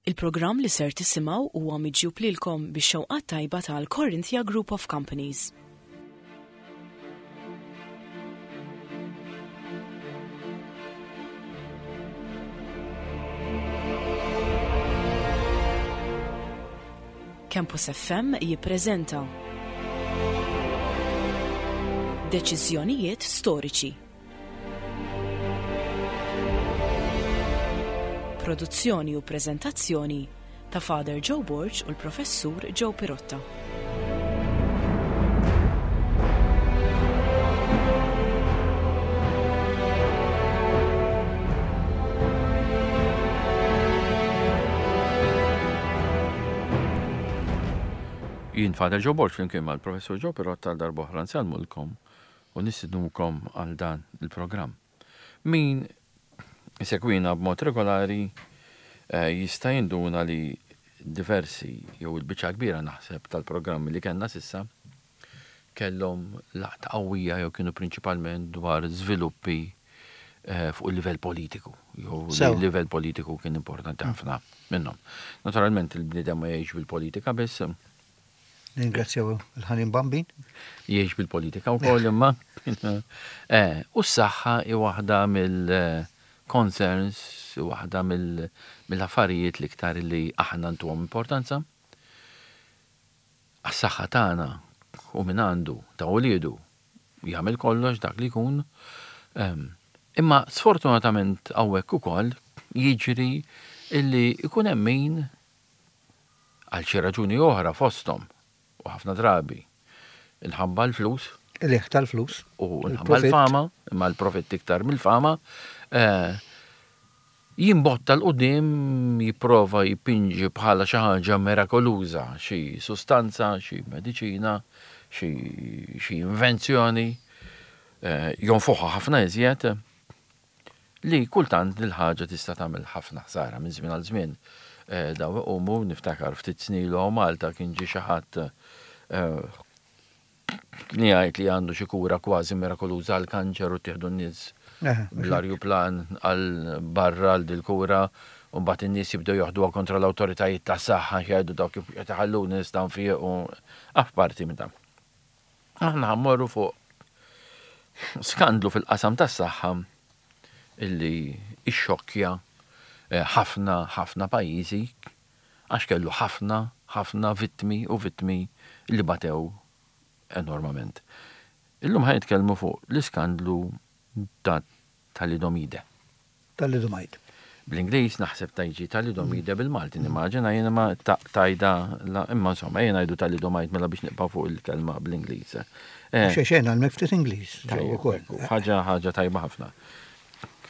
Il-programm li ser tisimgħu huwa miġjub lilkom bix-xewqat tajba tal-Corinthia Group of Companies. Campus FM jippreżenta Deċiżjonijiet storiċi. Produzzjoni u preżentazzjoni ta' Father Joe Borg u l-Professur Joe Pirotta. Jien Father Joe Borg flimkien mal-Professur Joe Pirotta għal darb'oħra nsellmulkom u nistidnukom għal dan il-programm. Min isegwina b'mod regolari eh, jista' jinduna li diversi jew il-biċċa kbira naħseb tal-programmi li kellna s'issa kellhom laqta qawwija jew kienu prinċipalment dwar żviluppi eh, fuq il-livell politiku. Jew il-livell politiku kien importanti ħafna minnhom. Naturalment il-bniedem ma jgħix bil-politika biss. Ningrazzjaw il-ħanin Bambin. Jgħix bil-politika wkoll imma. Eh, u s-saħħa hi waħda mill-concerns, waħda mill-affarijiet l-iktar li aħna ntuhom importanza. Għas-saħħa tagħna u min għandu ta' uliedu jagħmel kollox dak li jkun. Imma sfortunatament hawnhekk ukoll jiġri illi jkun hemm min għal xi raġuni oħra fosthom u ħafna drabi inħabba l-flus. Qligħ tal-flus. U nħabba l-fama, imma l-profitt iktar mill-fama, eh, Jimbotta 'l quddiem jipprova jpinġi bħala xi ħaġa mirakoluża xi sustanza, xi mediċina, xi xi invenzjoni, jonfoħha ħafna iżjed, li kultant dil-ħaġa tista' tagħmel ħafna ħsara minn żmien għal żmien. Dawn iqumu, niftakar ftit snin ilu hawn Malta kien ġie xi ħadd Kien jgħid li għandu xi kura kważi mirakoluża għall-kanċer u ttieħdu n-nies bl-arjuplan għal barra għal dil-kura u mbagħad in-nies jibdew joħduha kontra l-awtoritajiet tas-saħħa jgħidu dawk kif qed iħalluni nista' nfieq u apparti minn dan. Aħna ħammorru fuq skandlu fil-qasam tas-saħħa illi ixxokkja eh, ħafna ħafna pajjiżi għax kellu ħafna, ħafna vittmi u vittmi li batew enormament. Illum ħa nitkellmu fuq l-iskandlu ta' thalidomide. Thalidomide. Bl-Ingliż naħseb ta' jiġi thalidomide bil-Malti nimmaġina jiena ma tajda imma insomma ejja ngħidu thalidomide mela biex nibqgħu fuq il-kelma bl-Ingliż. Eh. Xejn xejn għalmek ftit Ingliż. Ħaġa ħaġa tajba ħafna.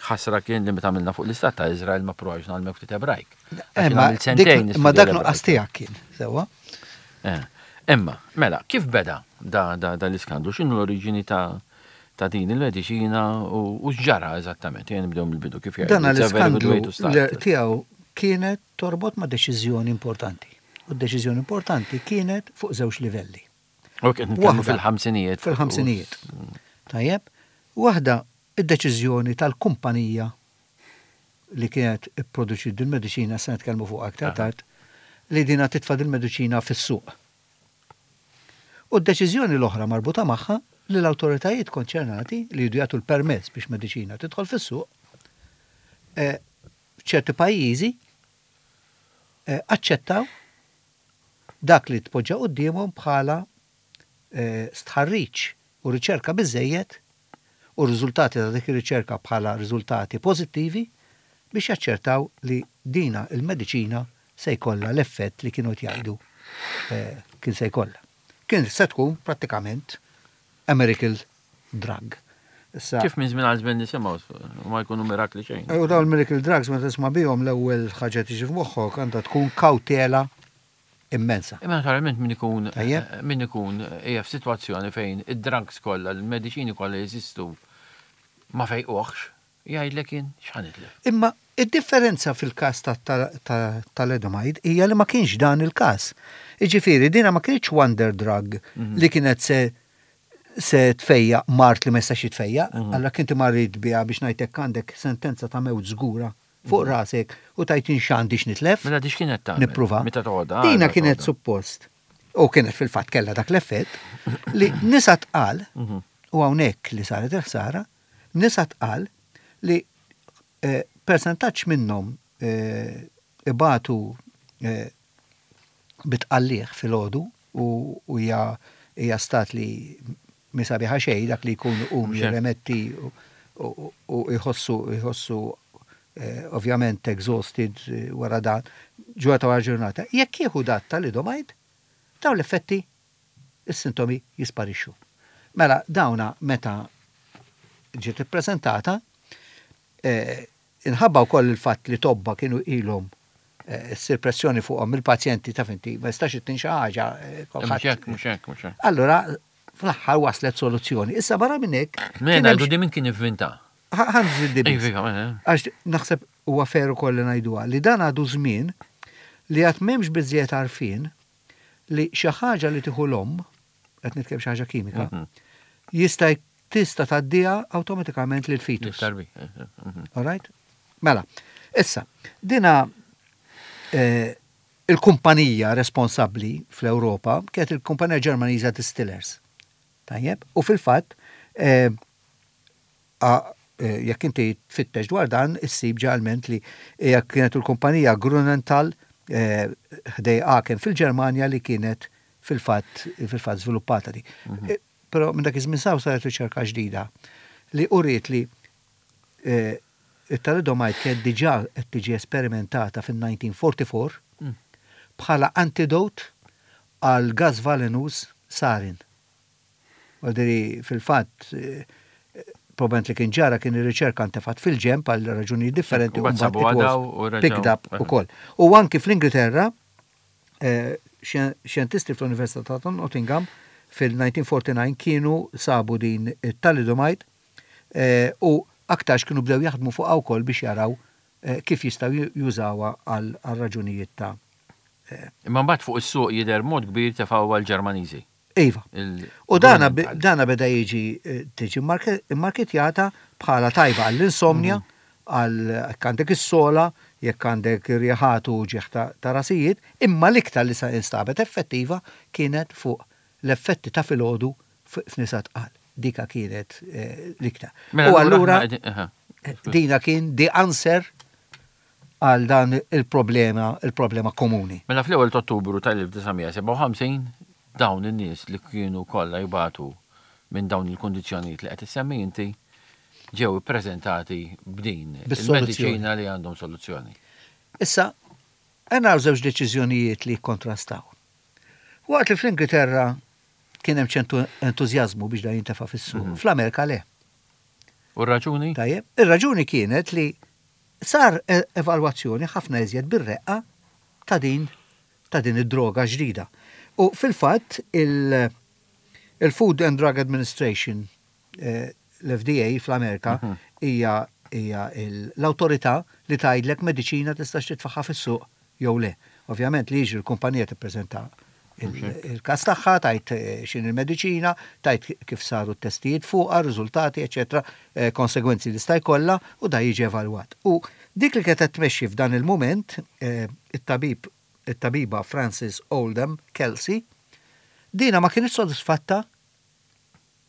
Ħasra kien li meta għamilna fuq l-istat ta' Izrael ma provajx nagħmel ftit Ebrajk. Eh, ma dak nuqqas tiegħek kien, sewwa. Eh, imma, mela, kif beda da, da, da l-iskandlu? X'inhu l-oriġini ta' ta' din il-mediċina u x'ġara eżattament? Jien nibdew mill-bidu kif jgħid. Dan l-iskandlu tiegħu kienet torbot ma' deċiżjoni importanti. U d-deċiżjoni importanti kienet fuq żewġ livelli. U kien fil-ħamsinijiet. Fil-ħamsinijiet. Tajjeb, waħda Id-deċiżjoni tal-kumpanija li kienet ipproduċiet dil-mediċina, se nitkellmu fuqha aktar tard, li dinha titfa' dil-mediċina fis-suq. U d-deċiżjoni l-oħra marbuta magħha li l-awtoritajiet konċernati li jridu jagħtu l-permess biex mediċina tidħol fis-suq, f'ċerti pajjiżi aċċettaw dak li tpoġġa quddiemhom bħala stħarriġ u riċerka biżżejjed u r-riżultati ta' dik ir-riċerka bħala riżultati pożittivi biex jaċċertaw li dina il-mediċina se jkollha l-effett li kienu qed jgħidu kien se jkollha. Kien se tkun prattikament a miracle drug. Issa, Kif minn żmien għal żmien nisimgħu u ma jkunu mirakli xejn. U dawn il-miracle drugs meta tisma' bihom l-ewwel ħaġa tiġi f'moħħok għandha tkun kawtela immensa. Imma naturalment min ikun min ikun hija f'sitwazzjoni fejn id-drugs kollha, il-mediċini kollha jeżistu ma fejquhx, jgħidlek jien x'ħa nitlef. Imma id-differenza fil-każ ta' thalidomide hija li ma kienx dan il-każ. Jiġifieri dina ma kinitx wonder drug li kienet se se tfejjaq mard li ma jistax jitfejjaq, allura kien inti marid biha biex ngħid hekk għandek sentenza ta' mewt żgura. fuq rasek u tgħid jien x'għandi x'nitlef. Mela di x'kienet tagħmel? Nipprova. Meta toħodha. Dina kienet suppost, u kienet fil-fatt kellha dak l-effett, li nisa tqal, u hawnhekk li saret il-ħsara, nisa tqal li persentaġġ minnhom ibatu bi tqalligħ filgħodu u hija hija stat li mhi sabiħa xejn dak li jkun iqum jirremetti u jħossu jħossu ovvjament exhausted wara dan ġurnata wara ġurnata. Jekk jieħu dat thalidomide, dawn l-effetti is-sintomi jisparixxu. Mela dawna meta ġiet ippreżentata, inħabba wkoll il-fatt li tobba kienu ilhom ssir pressjoni fuqhom mill-pazjenti taf inti ma jistax ittin xi ħaġa. Mhux hekk, mhux hekk, mhux hekk. Allura fl-aħħar waslet soluzzjoni. Issa barra minn hekk. Mela ngħidu di min kien ivvinta. Ħa nżid biss. Għax naħseb huwa fair ukoll li ngħiduha li dan għadu żmien li għad m'hemmx biżżejjed għarfien li xi ħaġa li tieħu l-omm, qed nitkellem xi ħaġa kimika, jista' tista' tgħaddiha awtomatikament lill-fetus. All right? Mela, issa, dina il-kumpanija responsabbli fl-Ewropa kienet il-kumpanija Ġermaniża Distillers. Tajjeb? U fil-fatt, Jekk inti tfittex dwar dan, issib ġeneralment li hija kienet il-kumpanija Grünenthal ħdej Aachen fil-Ġermanja li kienet fil-fatt fil-fatt żviluppata di. Però minn dak iż-żmien s'hawn saret riċerka ġdida li uriet li it-thalidomide kienet diġà qed tiġi esperimentata fin-1944 bħala antidote għal gass valenuż sarin. Vuol fil-fatt, probablement li kien ġara kien ir-riċerka ntefgħet fil-ġenb għal raġunijiet differenti u mbagħad it was picked up ukoll. U anki fl-Ingilterra, xjentisti fl-Università ta' Nottingham fil-1949 kienu sabu din it-thalidomide u aktarx kienu bdew jaħdmu fuqha wkoll biex jaraw kif jistgħu jużawha għal raġunijiet ta' Imma mbagħad fuq is-suq jidher b'mod kbir tefgħuha l-Ġermaniżi. Iva. U dana dana beda jiġi tiġi mmarketjata bħala tajba għall-insomnia, għal jekk għandek is-sogħla, jekk għandek rjeħat u uġigħ ta' rasijiet, imma l-iktar li instabet effettiva kienet fuq l-effetti ta' filgħodu f'nisa tqal. Dika kienet l-iktar. Mela U allura dina kien the answer għal dan il-problema, il-problema komuni. Mela fl-ewwel ta' Ottubru tal-1957 dawn in-nies li kienu kollha jbatu minn dawn il-kundizzjonijiet li qed issemmi inti ġew ippreżentati b'din il-mediċina li għandhom soluzzjoni. Issa, qed naraw żewġ deċiżjonijiet li jikkontrastaw. Waqt li fl-Ingilterra kien hemm ċertu entużjażmu biex dan jintefa' fis-suq, fl-Amerika le. U r-raġuni? Tajjeb, ir-raġuni kienet li Sar evalwazzjoni ħafna iżjed bir-reqqa ta' din ta' din id-droga ġdida. U fil-fatt il il-Food and Drug Administration, l-FDA fl-Amerika, hija hija l-awtorità li tgħidlek mediċina tistax titfagħha fis-suq jew le. Ovvjament li jiġri l-kumpanija tippreżenta il-każ tagħha, tgħid x'inhi l-mediċina, tgħid kif saru t-testijiet fuqha, r-riżultati, eċċetera, konsegwenzi li sta jkollha u da jiġi evalwat. U dik li kienet qed tmexxi f'dan il-mument, it-tabib it-tabiba Frances Oldham Kelsey, dina ma kinitx sodisfatta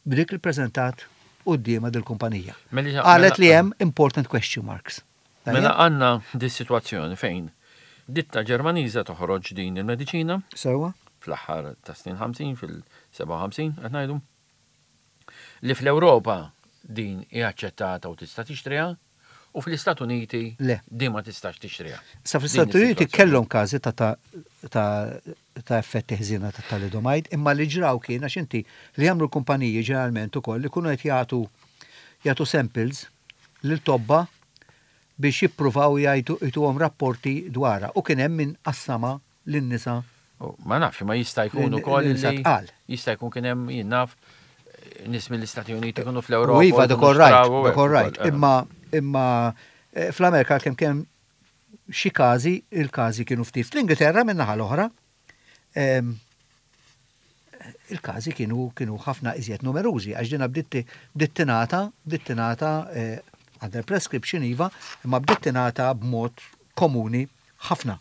b'dik li ppreżentat quddiemha dil-kumpanija. Qalet li hemm important question marks. Mela għandna dis-sitwazzjoni fejn ditta Ġermaniża toħroġ din il-mediċina. Sewwa. Fl-aħħar tas-snin 50, fil-57 qed ngħidu, li fl-Ewropa din hi aċċettata u tista' tixtriha, U fl-Istat Uniti Le. din ma tistax tixtriha. Sa fl-Istati Uniti kellhom każi ta' ta' ta' ta' effetti ħżiena ta' thalidomide, imma li ġraw kien għax inti li jagħmlu l-kumpaniji ġeneralment ukoll ikunu qed jagħtu jagħtu samples lil tobba biex jippruvaw jgħidu jtuhom rapporti dwarha u kien hemm min qassamha lin-nisa. Ma nafx, ma jista' jkun ukoll li jista' jkun kien hemm jien naf nies mill-Istati Uniti kienu fl-Ewropa. Iva, dak all right, dak all right. Imma imma eh, fl-Amerika kemm kemm xi każi, il-każi kienu ftit. Fl-Ingilterra min-naħa l-oħra, ehm, il-każi kienu kienu ħafna iżjed numerużi għax dina bdiet tingħata bdiet tingħata eh, Under prescription iva, imma bdiet tingħata b'mod komuni ħafna.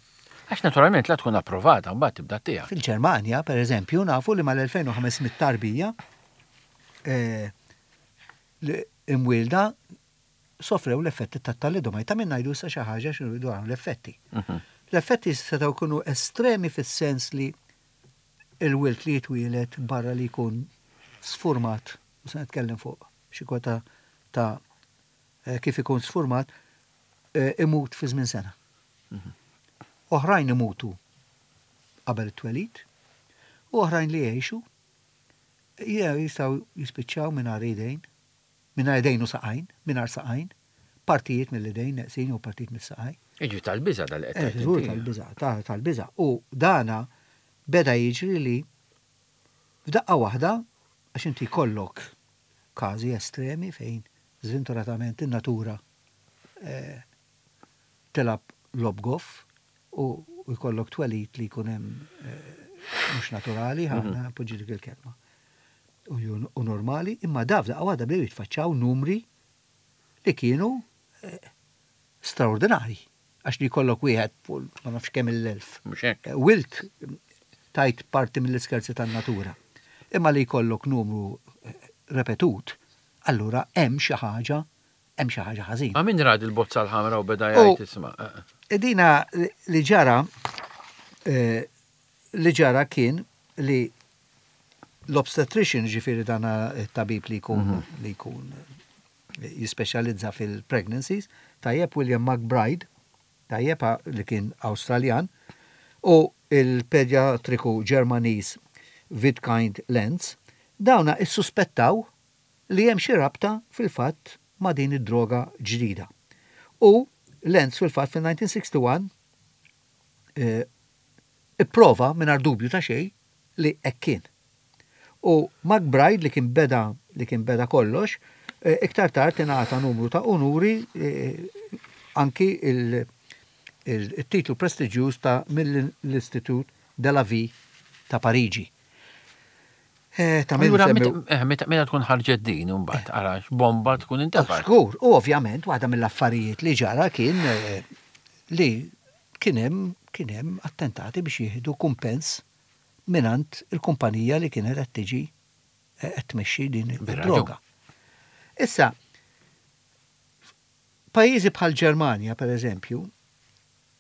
Għax naturalment la tkun approvata mbagħad tibda ttiha. Fil-Ġermanja, per eżempju, nafu li mal-2500 tarbija eh, li imwielda sofrew l-effetti tat-thalidomide. Ta' min ngħidu issa xi ħaġa x'inhu dwar l-effetti. Mhm. L-effetti setgħu jkunu estremi fis-sens li il-wild li jitwieled barra li jkun sfurmat, u se nitkellem fuq xi kwota ta' eh, kif ikun sfurmat, eh, imut fi żmien sena. Mhm. Oħrajn imutu qabel it-twelid, u oħrajn li jgħixu jistgħu jispiċċaw mingħajr idejn, mingħajr idejn u saqajn, mingħajr saqajn, partijiet mill-idejn neqsin jew partijiet mis-saqajn. Jiġri tal-biża' dal qed tgħid. Żgur tal-biża', tal-biża'. U dana beda jiġri li f'daqqa waħda, għax inti jkollok każi estremi fejn żventuratament in-natura eh, tilgħab logħob goff u jkollok twelid li jkun hemm mhux naturali, ħa npoġġi dik il-kelma, u normali, imma da f'daqqa waħda bdew jitfaċċaw numri li kienu straordinarji. Għax li jkollok wieħed fuq ma nafx kemm il-elf. Wilt tajt parti mill-iskerzi tan-natura. Imma li jkollok numru repetut, allura hemm xi ħaġa hemm xi ħaġa ħażina. Ma' min ra dil-bozza l-ħamra u beda jgħid isma'. Dina li ġara li ġara kien li l-obstetrician, ġifieri dan it-tabib li jkun mhm. li jkun jispeċjalizza fil-pregnancies, tajjeb William McBride, tajjeb li kien Awstraljan, u il-pedjatriku Ġermaniż Witkind Lenz, dawna issuspettaw li hemm xi rabta fil-fatt ma' din id-droga ġdida. U Lenz fil-fatt fil-1961 ipprova mingħajr dubju ta' xejn li hekk kien. U McBride li kien beda li kien beda kollox, iktar tard ingħata numru ta' unuri anki il-titlu prestiġjuż ta' mill-Institut de la Vie ta' Pariġi. Eh, ta' minn eh, meta tkun ħarġet din imbagħad ara bomba tkun intefgħet. Żgur, u ovvjament waħda mill-affarijiet li ġara kien eh, li kien hemm kien hemm attentati biex jieħdu kumpens mingħand il-kumpanija li kienet qed tiġi qed tmexxi din id-droga. Issa, pajjiżi bħal Ġermanja, per eżempju,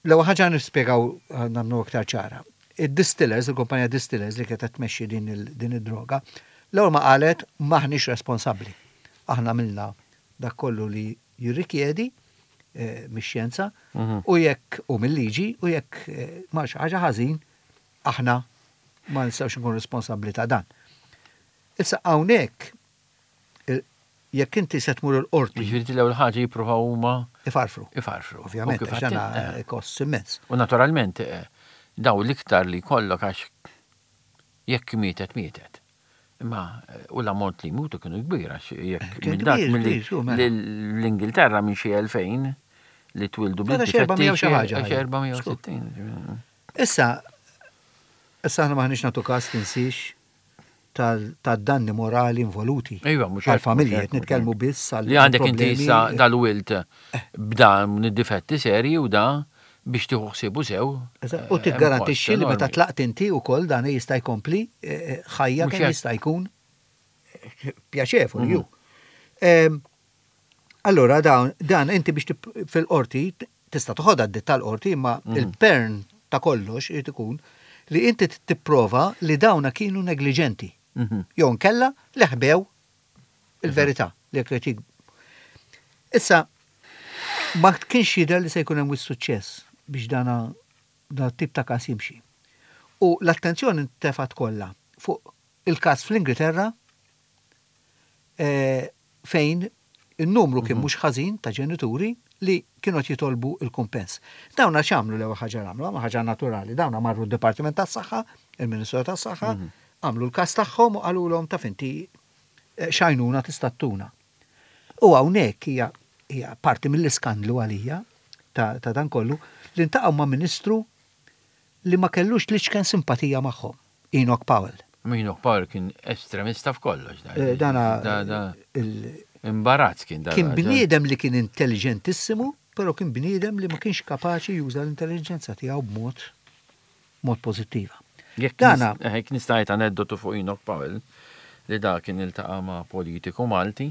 L-ewwel ħaġa nispjegaw nagħmlu iktar ċara. Id-distillers, il-kumpanija distillers li kienet qed tmexxi din id-droga, l-ewwel ma qalet m'aħniex responsabbli. Aħna għamilna dak kollu li jirrikjedi mix-xjenza u jekk u mil-liġi u jekk mar xi ħaġa ħażin aħna ma nistgħux inkunu responsabbli ta' dan. Issa hawnhekk jekk inti se tmur il-qorti. Jiġifieri l-ewwel ħaġa jippruvaw huma. Ifarfru. Ifarfru. Ovvjament, għax dan eh. kost immens. U naturalment eh, daw l-iktar li jkollok għax jekk mietet mietet. Imma eh, u l-ammont li jmutu kienu kbir għax jekk minn dak mela. l-Ingilterra minn xi 2000 li twildu bil-difetti. 460. Issa, issa aħna maħniex nagħtu każ tinsiex tad-danni morali involuti. Iva, mhux għall-familji, qed nitkellmu biss għal. Li għandek inti issa dal-wilt b'dan id-difetti serji u da biex tieħu ħsiebu sew. U eh, tiggarantixxi li meta tlaqt inti wkoll dan jista' jkompli eh, eh, ħajja kemm jista' jkun pjaċevoli ju. Mhm. Allura dan inti biex fil-qorti tista' toħodha d tal-qorti imma mhm. il-pern ta' kollox irid ikun li inti tipprova li dawna kienu negliġenti. Mhm. Jew nkella li ħbew il-verità li jekk Issa ma kienx jidher li se jkun hemm suċċess biex dana dan tip ta' każ jimxi. U l-attenzjoni ntefgħet kollha fuq il-każ fl-Ingilterra eh, fejn in-numru kien mhux ħażin ta' ġenituri li kienu qed jitolbu l-kumpens. Dawna x'għamlu l-ewwel ħaġa li għamlu? Għamlu ħaġa naturali. Dawna marru d-Dipartiment tas-Saħħa, il-Ministru tas-Saħħa, għamlu l-każ tagħhom u qalulhom taf inti eh, x'għajnuna tista' ttuna. U hawnhekk hija hija parti mill-iskandlu għalija ta', ta dan kollu li ntaqgħu ma' ministru li ma kellux l-iċken simpatija magħhom. Enoch Powell. Enoch Powell kien estremista f'kollox. Eh, dana Imbarazz kien dan. Kien bniedem li kien intelligentissimu, però kien bniedem li ma kienx kapaċi juża l-intelligenza tiegħu b'mod mod pożittiva. Jekk Dana, eh, jekk nista' ngħid aneddotu fuq Enoch Powell li da kien iltaqa' ma' politiku Malti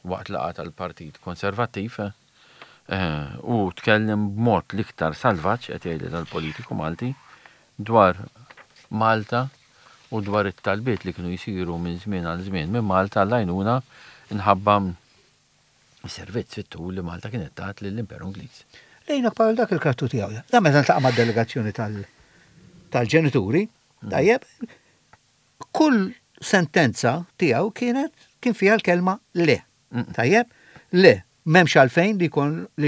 waqt laqgħa tal-Partit Konservattiv eh, u tkellem b'mod l-iktar salvaġġ qed jgħidli dal-politiku Malti dwar Malta u dwar it-talbiet li kienu jsiru minn żmien għal żmien minn Malta għall-għajnuna nħabba servizz fit-tul li Malta kienet tat lill-Imperu Ingliż. Lejna bħal dak il-karattru tiegħu. Da meta ntaqa' mad-delegazzjoni tal-ġenituri, tajjeb, kull sentenza tiegħu kienet kien fiha l-kelma le. Tajjeb, le, m'hemmx għalfejn li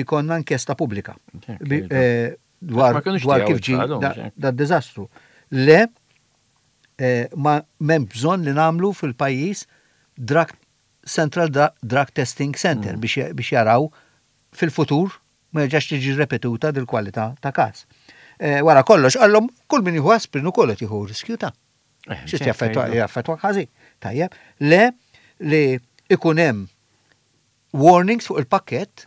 jkollna inkjesta pubblika. Eh, dwar dwar kif ġie dad-diżastru. Le, eh, ma m'hemm bżonn li nagħmlu fil-pajjiż drug Central Drug Testing Center mm. biex jaraw fil-futur ma jerġax tiġi repetuta dil-kwalità ta' każ. Eh, wara kollox, għallhom kull min jieħu aspirin ukoll qed jieħu riskju ta' eh, Xi jaffettwa ħażin. Tajjeb, le li ikun hemm warnings fuq il-pakkett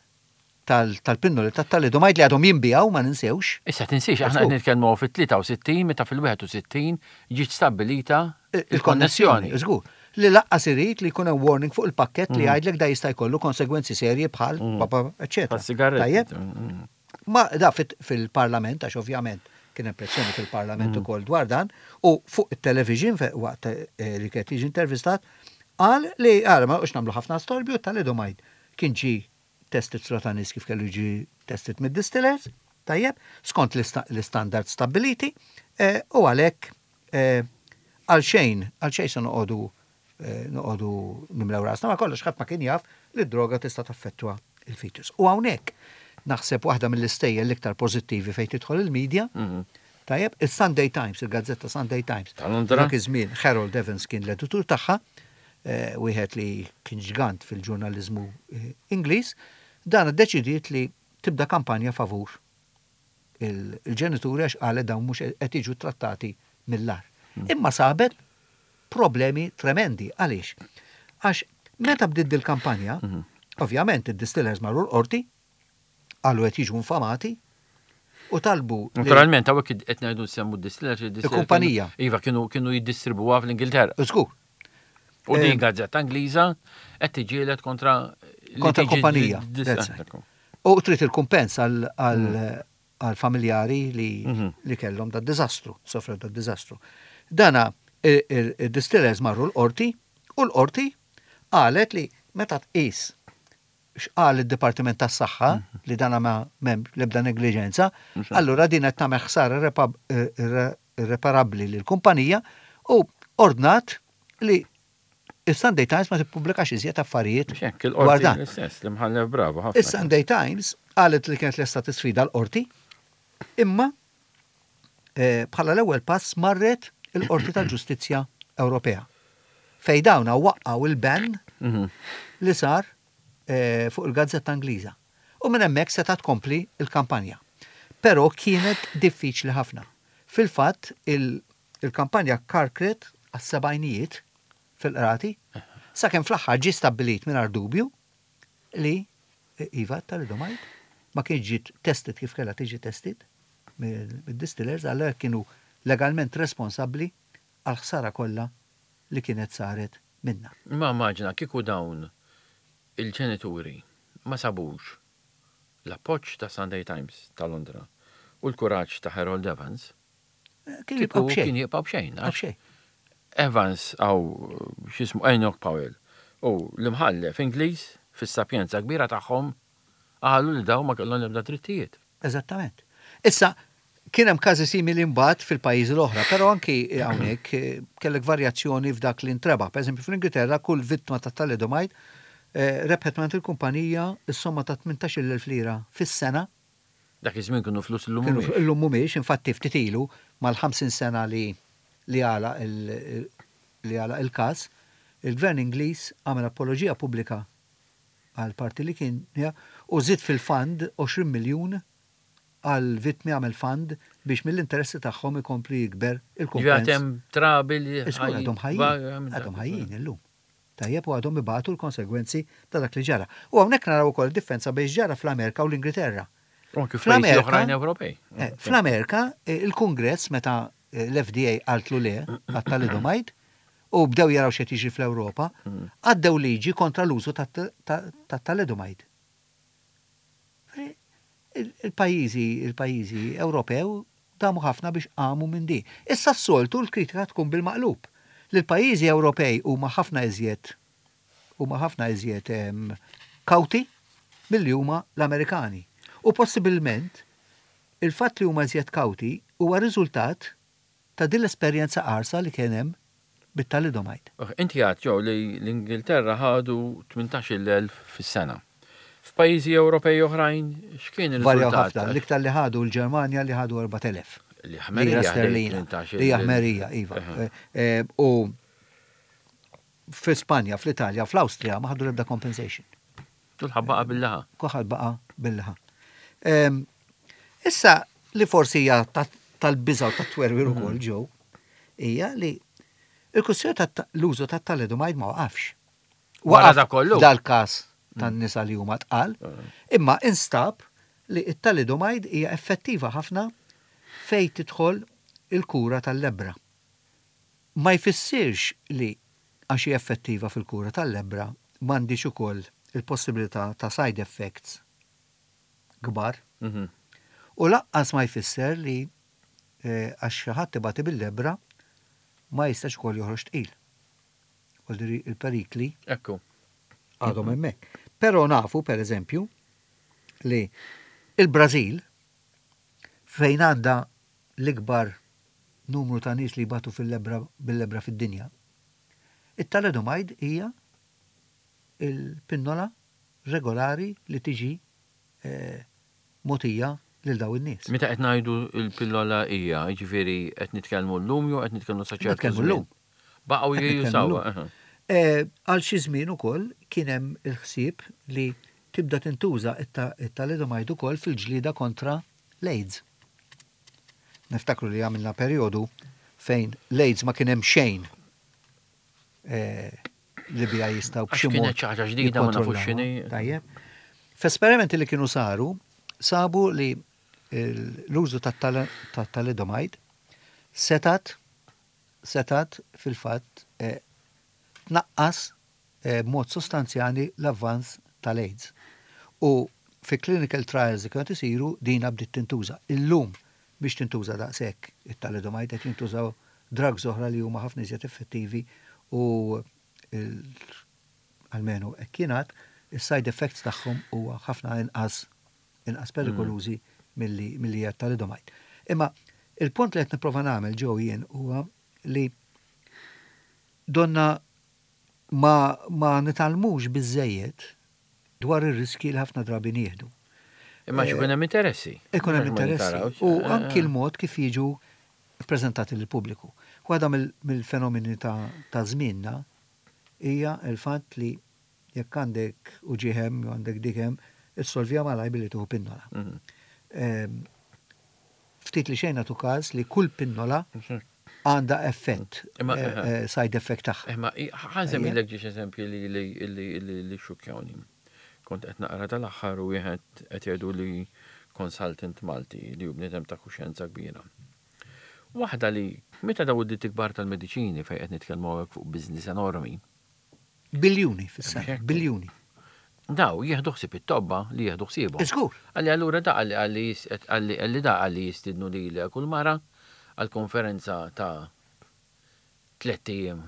tal-pinnoli tat-thalidomide li għadhom jinbiegħu ma ninsewx. Issa tinsiex aħna qed nitkellmu fit-63 meta fil-61 ġiet stabbilita il-konnessjoni. Żgur. Li laqqas irid li jkun hemm warning fuq il-pakkett li jgħidlek da jista' jkollu konsegwenzi serji bħal papa eċċetera. Sigaretti. Ma da fil-parlament għax ovvjament kien hemm pressjoni fil-parlament ukoll dwar dan u fuq it-television waqt eh, li kien jiġi intervistat qal li għara ma noqgħodx nagħmlu ħafna storbju thalidomide kien ġie tested ta' nies kif kellu jiġi tested mid-distillers, tajjeb, skont l-istandard stabbiliti, eh, u għalhekk eh, għal xejn, għal xejn se noqogħdu eh, noqogħdu nimlew rasna, ma kollox ħadd ma kien jaf li d-droga tista' taffettwa il-fetus. U hawnhekk naħseb waħda mill-istejjer l-iktar pożittivi fejn tidħol il-medja, mhm. tajjeb, il-Sunday Times, il-gazzetta Sunday Times. Dak iż-żmien Harold Evans kien l-editur tagħha, wieħed li kien ġgant fil-ġurnaliżmu Ingliż, dan iddeċidiet li tibda kampanja favur il-ġenituri għax qalet dawn mhux qed jiġu trattati mill-agħar. Imma sabet problemi tremendi. Għaliex? Għax meta bdiet dil-kampanja, ovvjament id-distillers marru l-qorti, qalu qed jiġu infamati u talbu. Naturalment, hawnhekk qed ngħidu nsemmu d-distillers. Il-kumpanija. Iva, kienu kienu jiddistribwuha fl-Ingilterra. Żgur. U din gazzetta Ingliża qed tiġielet kontra kontra kumpanija. U trid il-kumpens għal familjari li mhm. li kellhom da diżastru, sofrew da diżastru. Dana il-distillers marru l-qorti u l-qorti qalet li meta tqis x'qal id-Dipartiment tas-Saħħa li dana ma m'hemm l-ebda negliġenza, allura din qed tagħmel ħsara irreparabbli lill-kumpanija u ordnat li is-Sunday Times ma tippubblikax iżjed affarijiet dwar dan. L-istess, l-imħallef bravu ħafna. Is-Sunday Times qalet li kienet lesta tisfida l-qorti, imma bħala l-ewwel pass marret il-Qorti tal-Ġustizzja Ewropea. Fejn dawna waqqgħu il-ban li sar fuq il-gazzetta Ingliża. U minn hemmhekk setgħet tkompli l-kampanja. Però kienet diffiċli ħafna. Fil-fatt il-kampanja karkret għas-sebgħinijiet fil-qrati sakemm fl-aħħar ġie stabbilit mingħajr dubju li iva thalidomide ma kienx ġiet tested kif kellha tiġi tested mid-distillers allura kienu legalment responsabbli għall-ħsara kollha li kienet saret minnha. Imma immaġina kieku dawn il-ġenituri ma sabux l-appoġġ ta' Sunday Times ta' Londra u l-kuraġġ ta' Harold Evans, Kien jibqa' b'xejn. Kien jibqa' b'xejn. B'xejn. Evans għaw x'ismu Enoch Powell u l-imħallef Ingliż fis-sapjenza kbira tagħhom qalu li dawn ma kellhom l-ebda drittijiet. Eżattament. Issa, kien hemm każi simili mbagħad fil-pajjiżi l-oħra, però anki hawnhekk eh, kellek varjazzjoni f'dak li ntrebaħ. Pereżempju fl-Ingilterra kull vittma ta' thalidomide eh, rebħet mingħand il-kumpanija s-somma ta' 18,000 lira fis-sena Dak iż-żmien kienu flus illum mhumiex. Illum mhumiex, infatti ftit ilu mal-50 sena li li għalaq li għalaq il-każ, il-Gvern Ingliż għamel apoloġija pubblika għall-parti li kien u żied fil-fund 20 miljun għall-vittmi għamel fund biex mill-interessi tagħhom ikompli jikber il-kumpens. Ġifieri hemm trabi li għadhom ħajjin. Għadhom ħajjin illum. Tajjeb u għadhom ibatu l-konsegwenzi ta' dak li ġara. U hawnhekk naraw ukoll differenza bejn x'ġara fl-Amerika u l-Ingilterra. U anki f'pajjiżi oħrajn Ewropej. Eh, fl-Amerika, eh, il-Kungress meta eh, l-FDA qaltlu le għat-talidomide u bdew jaraw x'qed jiġri fl-Ewropa, mm. għaddew liġi kontra l-użu tat-talidomide. Il-pajjiżi il-pajjiżi Ewropew damu ħafna biex qamu minn din. Issa s-soltu l-kritika tkun bil-maqlub. Li l-pajjiżi Ewropej huma ħafna iżjed huma ħafna iżjed kawti milli huma l-Amerikani. U possibilment il-fatt li huma iżjed kawti huwa riżultat ta' din l-esperjenza qarsa li kien hemm bit-thalidomide. Inti għedt, Joe, li l-Ingilterra ħadu 18,000 fis-sena. F'pajjiżi Ewropej oħrajn x'kien ir-riżultat? Varjaw ħafna. L-iktar li ħadu l-Ġermanja li ħadu 4,000. Li ħmerija sterlina. Li ħmerija, iva. U fi Spanja, fl-Italja, fl-Awstrija ma ħadu l-ebda compensation. Kulħadd baqa' bil-laħa. Kulħadd baqa' bil-laħa. Issa li forsi hija tal-biża' u tat-twerwir ukoll ġew hija li l-kwistjoni tal-użu tat-thalidomide ma waqafx. Wara da kollu. Dal-każ tan-nisa li huma tqal, imma instab li t-thalidomide hija effettiva ħafna fejn tidħol il-kura tal-lebbra. Ma jfissirx li għax hi effettiva fil-kura tal-lebbra m'għandhiex ukoll il-possibilità ta' side effects kbar. U lanqas ma jfisser li għax xi ħadd ibati bil-lebbra ma jistax ukoll joħroġ tqil. Vuol il-perikli Ekku. għadhom hemmhekk. Però nafu, per eżempju, li il-Brażil fejn għandha l-ikbar numru ta' nies li jbatu fil-lebbra bil-lebbra fid-dinja, it-thalidomide hija il-pinnola regolari li tiġi mogħtija lil dawn in-nies. Meta qed ngħidu l-pillola hija, jiġifieri qed nitkellmu llum jew qed nitkellmu sa ċertu Nitkellmu llum. Baqgħu jużawha. Għal xi żmien ukoll kien hemm il-ħsieb li tibda tintuża t-thalidomide ukoll fil-ġlieda kontra l-AIDS. Niftakru li għamilna perjodu fejn l-AIDS ma kien hemm xejn li biha jistgħu b'xi mod. Kienet xi ħaġa ġdida ma nafux x'inhi. Tajjeb. F'esperimenti li kienu saru, sabu li l-użu tat-thalidomide setat setat fil-fatt tnaqqas b'mod sostanzjali l-avvanz tal-AIDS. U fi clinical trials li kienu qed isiru dina bdiet tintuża. Illum biex tintuża daqshekk it-thalidomide qed jintużaw drugs oħra li huma ħafna iżjed effettivi u almenu hekk jingħad, is-side effects tagħhom huwa ħafna inqas inqas perikolużi milli milli hija t-thalidomide. Imma il-punt li qed nipprova nagħmel Joe jien huwa li donna ma ma nitgħallmux biżżejjed dwar ir-riskji li ħafna drabi nieħdu. Imma għax ikun hemm interessi. Ikun hemm interessi. U anki l-mod kif jiġu ppreżentati lill-pubbliku. Waħda mill-fenomeni ta' żmienna hija l-fatt li jekk għandek uġigħ hemm jew għandek dik hemm, issolviha malajr billi tieħu pinnola. Ftit li xejn nagħtu każ li kull pinnola għandha effett, side effect tagħha. Imma ħa nsemmilek ġiex eżempji li xxukkjawni. Kont qed naqra tal-aħħar u wieħed qed jgħidu li consultant Malti li hu bniedem ta' kuxjenza kbira. Waħda li meta daw id-ditti kbar tal-mediċini fejn qed nitkellmu hawnhekk fuq business enormi. Biljuni fis-sena, biljuni. Daw jieħdu ħsieb it-tobba li jieħdu ħsiebhom. Żgur. Qalli allura da qalli qalli qalli qalli da qalli jistiednu lilek u l-mara għal konferenza ta' tlett ijiem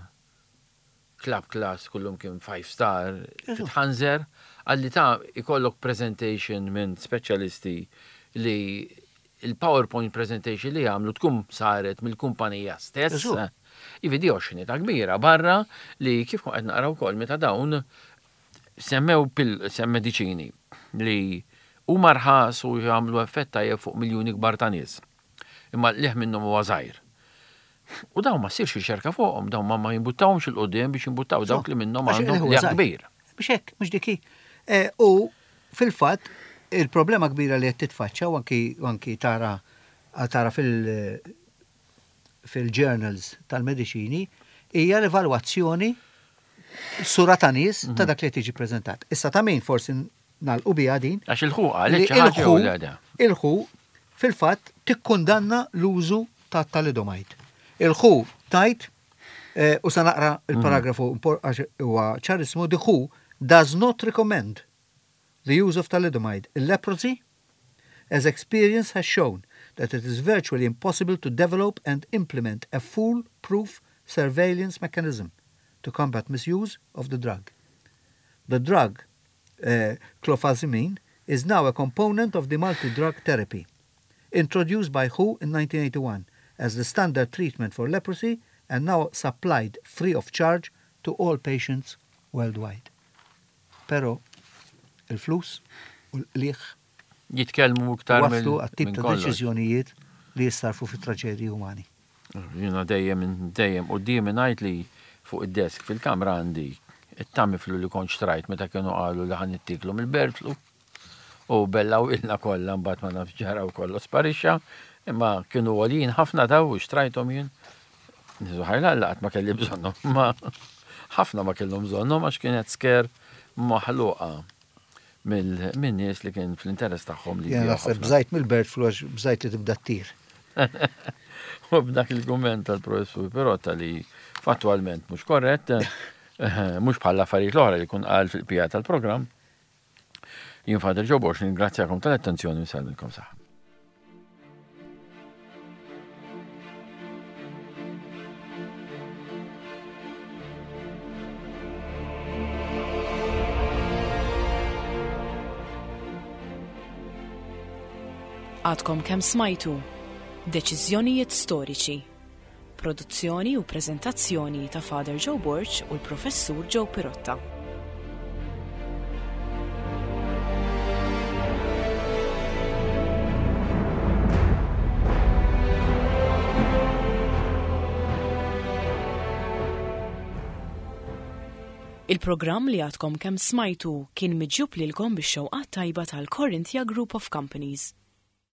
club class kullumkien five star titħanżer qalli ta' ikollok presentation minn speċjalisti li il-PowerPoint presentation li jagħmlu tkun saret mill-kumpanija stess. Jiġifieri di oxxenità kbira barra li kif kont qed naqra wkoll meta dawn semmew sem mediċini li huma rħas u jagħmlu effett tajjeb fuq miljuni kbar ta' nies. Imma l-qligħ minnhom huwa żgħir. U dawn ma ssirx riċerka fuqhom, dawn ma ma jimbuttawhomx 'il quddiem biex jimbuttaw dawk li minnhom għandhom qligħ kbir. Mhux hekk, mhux dik hi. Eh, u fil-fatt il-problema kbira li qed titfaċċa u anki anki tara tara fil fil-journals tal-mediċini hija l-evalwazzjoni sura ta' nies ta' dak li qed jiġi preżentat. Issa ta' min forsi nagħlqu biha din. Għax il-WHO qalet xi ħaġa jew le? Il-WHO fil-fatt tikkundanna l-użu ta' thalidomide. Il-WHO tgħid, u sa naqra il-paragrafu għax huwa ċarissmu, the WHO does not recommend the use of thalidomide in leprosy as experience has shown that it is virtually impossible to develop and implement a fool-proof surveillance mechanism to combat misuse of the drug. The drug, uh, clofazimine, is now a component of the multi-drug therapy, introduced by WHO in 1981 as the standard treatment for leprosy and now supplied free of charge to all patients worldwide. Però il-flus u l-qligħ jitkellmu iktar wasslu għat-tip ta' deċiżjonijiet li jissarrfu fi traġedji umani. Jiena dejjem dejjem quddiemi ngħid li fuq id-desk fil-kamra għandi it-Tamiflu li kont xtrajt meta kienu qalu li ħa nittieklu mill-bird flu u bellgħu ilna kollha mbagħad ma nafx ġara u kollox sparixxa imma kienu għoljin ħafna daw u xtrajthom jien. Niżu ħajla Alla qatt ma kelli bżonnhom imma ħafna ma kellhom bżonnhom għax kienet scare maħluqa minn nies li kien fl-interess tagħhom li Jena naħseb bżajt mill-bird flu għax bżajt li tibda ttir. U b'dak il-kumment tal-professur Pirotta li fattwalment mhux korrett, eh, mhux bħal affarijiet l-oħra li kun qal fil-pija tal-programm. Jien Father Joe Borx ningrazzjakom tal-attenzjoni u nsellmilkom saħħa. Għadkom kemm smajtu Deċiżjonijiet Storiċi. Produzzjoni u preżentazzjoni ta' Father Joe Borg u l-Professur Joe Pirotta. Il-programm li għadkom kemm smajtu kien miġjub lilkom bix-xewqat tajba tal-Corinthia Group of Companies.